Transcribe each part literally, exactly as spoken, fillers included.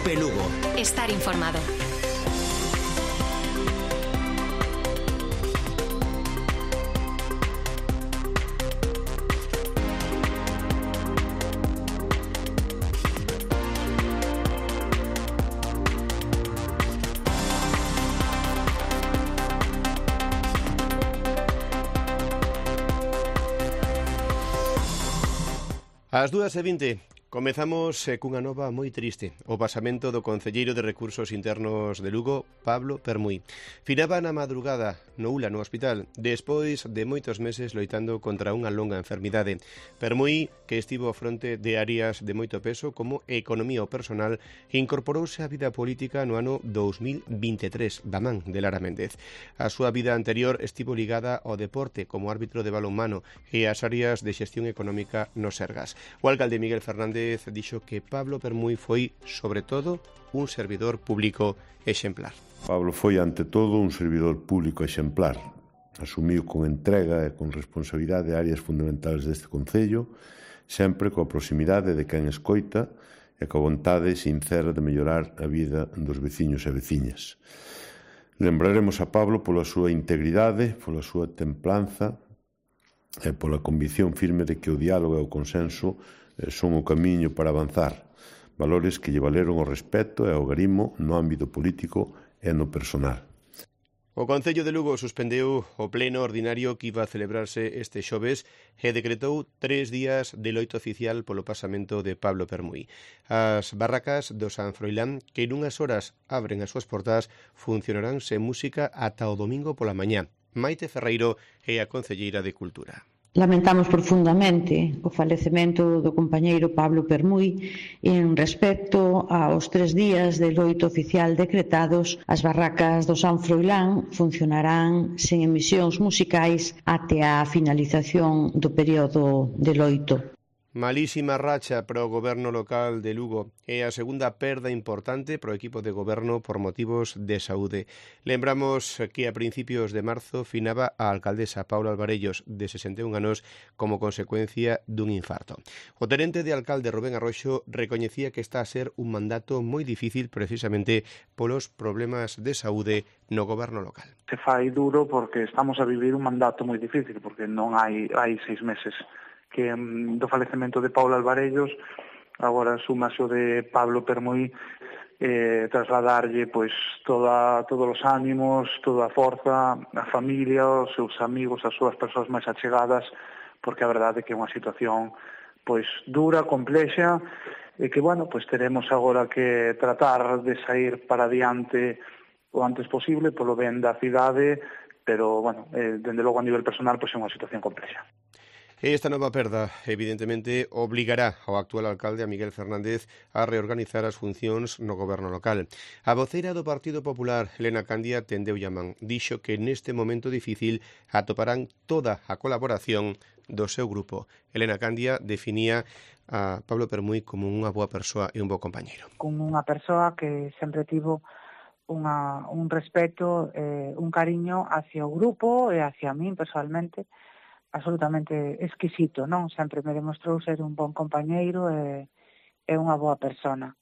Cope Lugo. Estar informado. Ás dúas e vinte, comezamos eh, cunha nova moi triste, o pasamento do concelleiro de Recursos Internos de Lugo, Pablo Permuy. Finaba na madrugada no U L A, no hospital, despois de moitos meses loitando contra unha longa enfermidade. Permuy, que estivo ao fronte de áreas de moito peso como economía ou personal, incorporouse á vida política no ano dous mil vinte e tres, da man de Lara Méndez. A súa vida anterior estivo ligada ao deporte como árbitro de balonmano e ás áreas de xestión económica no Sergas. O alcalde Miguel Fernández dixo que Pablo Permuy foi, sobre todo, un servidor público exemplar. Pablo foi, ante todo, un servidor público exemplar. Asumiu con entrega e con responsabilidade áreas fundamentales deste concello, sempre coa proximidade de quen escoita e coa vontade sincera de mellorar a vida dos veciños e veciñas. Lembraremos a Pablo pola súa integridade, pola súa templanza e pola convicción firme de que o diálogo e o consenso son o camiño para avanzar, valores que lle valeron o respeto e o garimo no ámbito político e no personal. O Concello de Lugo suspendeu o pleno ordinario que iba a celebrarse este xoves e decretou tres días de loito oficial polo pasamento de Pablo Permuy. As barracas do San Froilán, que nunhas horas abren as súas portas, funcionarán sen música ata o domingo pola mañá. Maite Ferreiro é a concelleira de Cultura. Lamentamos profundamente o falecemento do compañeiro Pablo Permuy en respecto aos tres días de loito oficial decretados. As barracas do San Froilán funcionarán sen emisións musicais até a finalización do período de loito. Malísima racha para o goberno local de Lugo e a segunda perda importante para o equipo de goberno por motivos de saúde. Lembramos que a principios de marzo finaba a alcaldesa Paula Alvarellos, de sesenta e un anos, como consecuencia dun infarto. O tenente de alcalde Rubén Arroxo recoñecía que está a ser un mandato moi difícil precisamente polos problemas de saúde no goberno local. Se fai duro porque estamos a vivir un mandato moi difícil, porque non hai, hai seis meses que um, do falecemento de Paula Alvarellos, agora súmase o de Pablo Permuy, eh, trasladarlle pois toda, todos os ánimos, toda a forza, a familia, os seus amigos, as súas persoas máis achegadas, porque a verdade é que é unha situación pois dura, complexa, e que, bueno, pois teremos agora que tratar de sair para adiante o antes posible polo ben da cidade, pero, bueno, eh, dende logo a nivel personal, pois é unha situación complexa. Esta nova perda, evidentemente, obligará ao actual alcalde, a Miguel Fernández, a reorganizar as funcións no goberno local. A voceira do Partido Popular, Elena Candia, tendeu a man. Dixo que neste momento difícil atoparán toda a colaboración do seu grupo. Elena Candia definía a Pablo Permuy como unha boa persoa e un bo compañeiro. Como unha persoa que sempre tivo unha, un respeto, eh, un cariño hacia o grupo e hacia min personalmente, absolutamente exquisito, non? Sempre me demostrou ser un bon compañeiro e, e unha boa persona.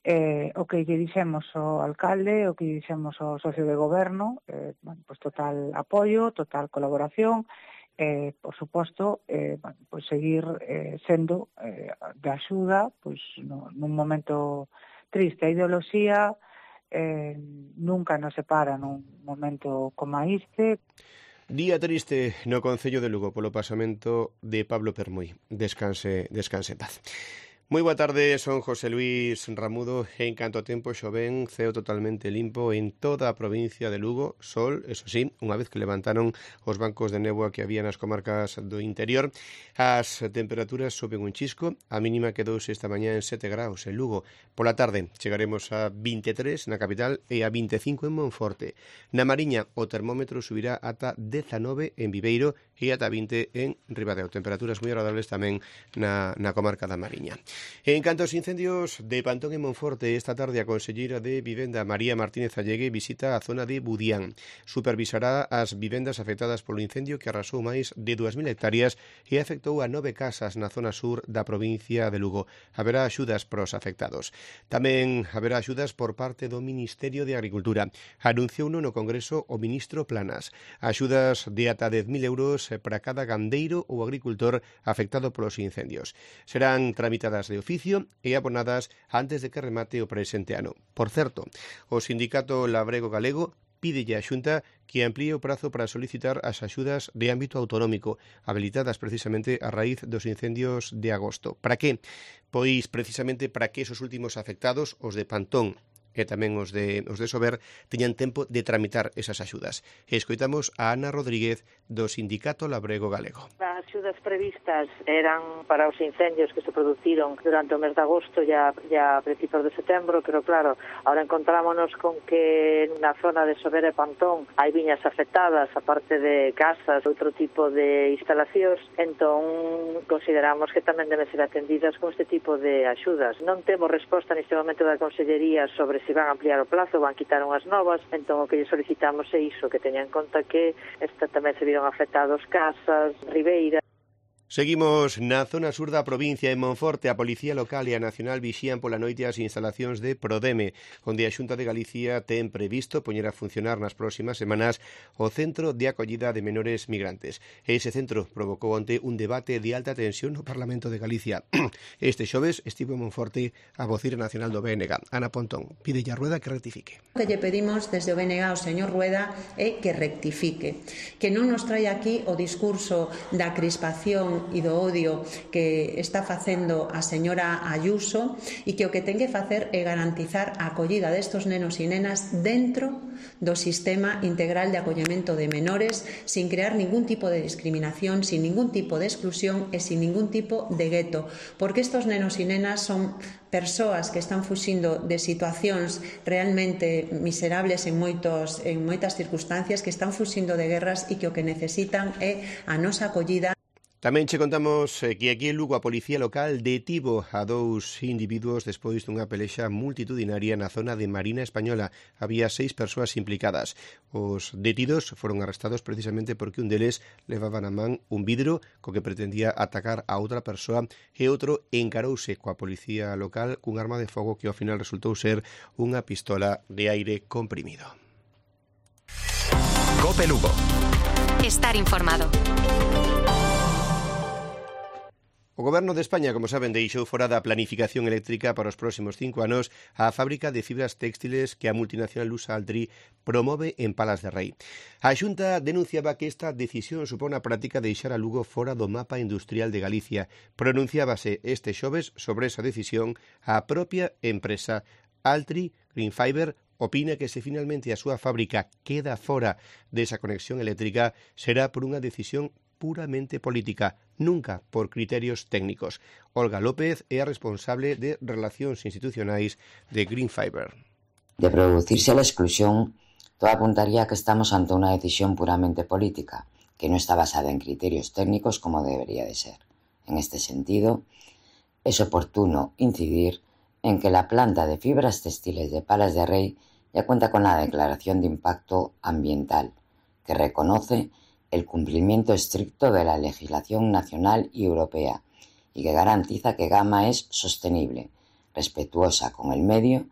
Eh, o que lle dixemos ao alcalde, o que lle dixemos ao socio de goberno, eh, bueno, pues total apoio, total colaboración, eh, por suposto, eh, bueno, pues seguir eh, sendo eh, de axuda, pues no, nun momento triste. A ideoloxía eh, nunca nos separa nun momento como este. Día triste no Concello de Lugo polo pasamento de Pablo Permuy. Descanse, descanse en paz. Moi boa tarde, son José Luis Ramudo. En canto a tempo xoven, ceo totalmente limpo en toda a provincia de Lugo. Sol, eso sí, unha vez que levantaron os bancos de néboa que había nas comarcas do interior. As temperaturas soben un chisco. A mínima quedouse esta mañá en sete graus en Lugo. Pola tarde chegaremos a vinte e tres na capital e a vinte e cinco en Monforte. Na Mariña o termómetro subirá ata dezanove en Viveiro e ata vinte en Ribadeo. Temperaturas moi agradables tamén na, na comarca da Mariña. En canto aos incendios de Pantón e Monforte, esta tarde a conselleira de Vivenda María Martínez Allegue visita a zona de Budián. Supervisará as vivendas afectadas polo incendio que arrasou máis de dúas mil hectáreas e afectou a nove casas na zona sur da provincia de Lugo. Haberá axudas pros afectados. Tamén haberá axudas por parte do Ministerio de Agricultura. Anunciouno no Congreso o ministro Planas. Axudas de ata dez mil euros para cada gandeiro ou agricultor afectado polos incendios. Serán tramitadas de oficio e abonadas antes de que remate o presente ano. Por certo, o sindicato Labrego Galego pídelle á Xunta que amplíe o prazo para solicitar as axudas de ámbito autonómico, habilitadas precisamente a raíz dos incendios de agosto. Para que? Pois precisamente para que esos últimos afectados, os de Pantón e tamén os de, os de Sober, teñan tempo de tramitar esas axudas. Escoitamos a Ana Rodríguez do Sindicato Labrego Galego. As axudas previstas eran para os incendios que se produciron durante o mes de agosto e a, e a principios de setembro, pero claro, ahora encontrámonos con que na zona de Sober e Pantón hai viñas afectadas, aparte de casas, outro tipo de instalacións, entón consideramos que tamén deben ser atendidas con este tipo de axudas. Non temos resposta neste momento da Consellería sobre se van a ampliar o plazo, van quitar unhas novas, entón o que lle solicitamos é iso, que teñan en conta que esta tamén se viron afectados casas, Ribeira. Seguimos na zona sur da provincia, en Monforte. A Policía Local e a Nacional vixían pola noite as instalacións de Prodeme, onde a Xunta de Galicia ten previsto poñer a funcionar nas próximas semanas o Centro de Acollida de Menores Migrantes. Ese centro provocou onte un debate de alta tensión no Parlamento de Galicia. Este xoves estivo en Monforte a vocira nacional do B N G, Ana Pontón. Pídelle a Rueda que rectifique. O que lle pedimos desde o B N G ao señor Rueda é que rectifique, que non nos traia aquí o discurso da crispación e do odio que está facendo a señora Ayuso e que o que ten que facer é garantizar a acollida destos nenos e nenas dentro do sistema integral de acollemento de menores sin crear ningún tipo de discriminación, sin ningún tipo de exclusión e sin ningún tipo de gueto, porque estos nenos e nenas son persoas que están fuxindo de situacións realmente miserables en moitos en moitas circunstancias, que están fuxindo de guerras e que o que necesitan é a nosa acollida. Tamén che contamos que aquí en Lugo a Policía Local detivo a dous individuos despois dunha pelexa multitudinaria na zona de Marina Española. Había seis persoas implicadas. Os detidos foron arrestados precisamente porque un deles levaba na man un vidro co que pretendía atacar a outra persoa e outro encarouse coa Policía Local cun arma de fogo que ao final resultou ser unha pistola de aire comprimido. Cope Lugo. Estar informado. O Goberno de España, como saben, deixou fora da planificación eléctrica para os próximos cinco anos a fábrica de fibras textiles que a multinacional lusa Altri promove en Palas de Rei. A Xunta denunciaba que esta decisión supón a práctica de deixar a Lugo fora do mapa industrial de Galicia. Pronunciábase este xoves sobre esa decisión a propia empresa. Altri Green Fiber opina que se finalmente a súa fábrica queda fora desa conexión eléctrica será por unha decisión puramente política, nunca por criterios técnicos. Olga López é a responsable de Relacións Institucionais de Green Fiber. De producirse la exclusión, todo apuntaría a que estamos ante una decisión puramente política, que no está basada en criterios técnicos como debería de ser. En este sentido, es oportuno incidir en que la planta de fibras textiles de Palas de Rei ya cuenta con la declaración de impacto ambiental, que reconoce el cumplimiento estricto de la legislación nacional y europea y que garantiza que Gama es sostenible, respetuosa con el medio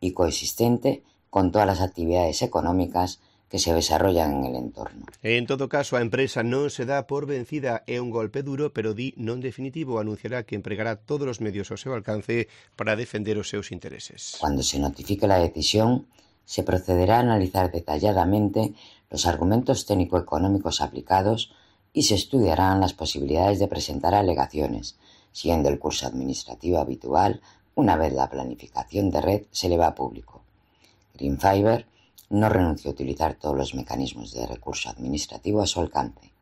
y coexistente con todas las actividades económicas que se desarrollan en el entorno. En todo caso, a empresa non se dá por vencida, é un golpe duro, pero di non definitivo, anunciará que empregará todos os medios ao seu alcance para defender os seus intereses. Cuando se notifique la decisión, se procederá a analizar detalladamente los argumentos técnico-económicos aplicados y se estudiarán las posibilidades de presentar alegaciones, siguiendo el curso administrativo habitual una vez la planificación de red se eleva a público. Green Fiber no renunció a utilizar todos los mecanismos de recurso administrativo a su alcance.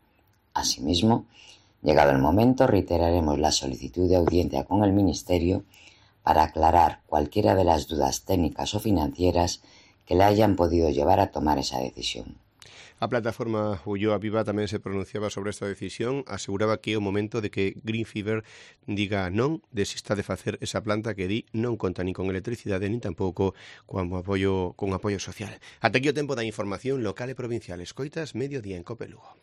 Asimismo, llegado el momento, reiteraremos la solicitud de audiencia con el Ministerio para aclarar cualquiera de las dudas técnicas o financieras que le hayan podido llevar a tomar esa decisión. A plataforma Ulloa Viva tamén se pronunciaba sobre esta decisión, aseguraba que é o momento de que Green Fiber diga non, desista de facer esa planta que di non conta nin con electricidade nin tampouco con apoio, con apoio social. Ata aquí o tempo da información local e provincial. Escoitas Mediodía en Cope Lugo.